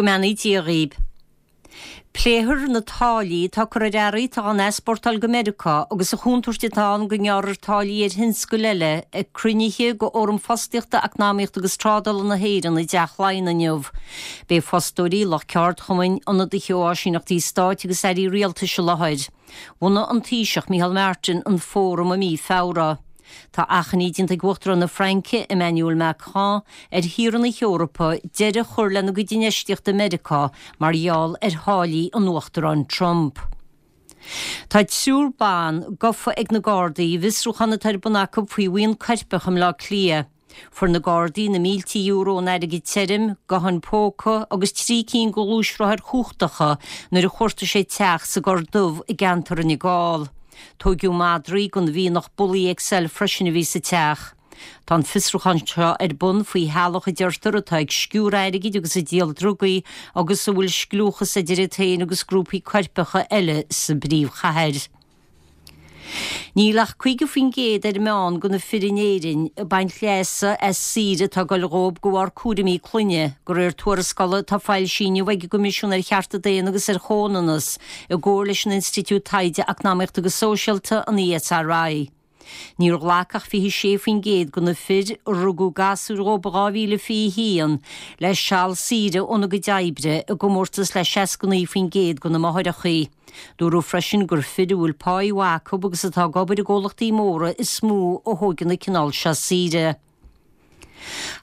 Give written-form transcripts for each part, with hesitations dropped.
Go mbeannaí Dia dhaoib. Pléifear na táillí atá curtha ar earraí atá á n-easpórtáil go Meiriceá agus an chontúirt atá ann go ngearrfar táillí ar thionscail eile ag cruinnithe de Fhóram Fostaíochta, Eacnamaíochta agus Trádála na hÉireann i dTeach Laighean inniu. Beidh fostóirí, lucht ceardchumainn, ionadaithe ó áisíneachtaí stáit agus airí rialtais i láthair. Bhunaigh an Taoiseach Micheál Martin an fóram i mí Feabhra. Tá achainí déanta ag Uachtarán na Fraince, Emmanuel Macron, ar thíortha na hEorpa deireadh a chur lena gcuid infheistíochta i Meiriceá mar gheall ar tháillí an Uachtaráin Trump. Tá triúr ban gafa ag na Gardaí i bhfiosrúchán atá ar bun acu faoi bhuíon coirpeach i mBleá Cliath. Fuair na Gardaí na mílte euro in airgead tirim, gutháin póca agus 3 cinn de ghluaisrothair chumhachtacha nuair a chuartaigh siad teach sa gCorr Dubh i gceantar Fhine Gall. Tóigeadh madraí den mhianach Bully XL freisin a bhí sa teach. Tá an fiosrúchán seo ar bun faoi theaghlach a deirtear atá ag sciúradh airgid agus ag díol drugaí agus a bhfuil scliúchas idir iad féin agus grúpaí coirpeacha eile sa bpríomhchathair. Níl ach 50% ar an meán de na fir in Éirinn ag baint leasa as saoire atá ag dul dhóibh de bharr cúraimí clainne, de réir tuarascála atá foilsithe inniu ag an gCoimisiún ar Chearta Daonna agus ar Chomhionannas i gcomhar leis an Institiúid Taighde Eacnamaíochta agus Sóisialta, an ESRI. Níor ghlac ach 26% de na fir a rugadh gasúir dhóibh i 2021 le seal saoire óna gcuid oibre i gcomórtas le 69% de na máithreacha. Dúradh freisin gur fir a bhfuil páí mhaith acu agus atá ag obair i gcomhlachtaí móra is mó a thóigeann an cineál seo saoire.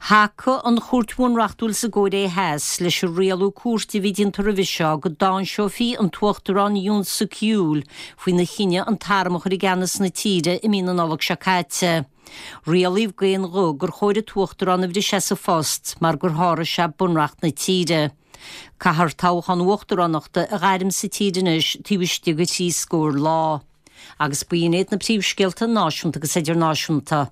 Thacaigh an Chúirt Bhunreachtúil sa gCóiré Theas leis an rialú cúirte a bhí déanta roimhe seo go dtáinseofaí an tUachtarán Yoon Suk Yeol faoina chinneadh an t-arm a chur i gceannas na tíre i mí na Nollag seo caite. Rialaíodh d'aon ghuth gur chóir an tUachtarán a bhriseadh as a phost mar gur sháraigh sé bunreacht na tíre. Caithfear toghchán uachtaránachta a ghairm sa tír anois taobh istigh de thrí scór lá. Agus b'in iad na príomhscéalta náisiúnta agus idirnáisiúnta.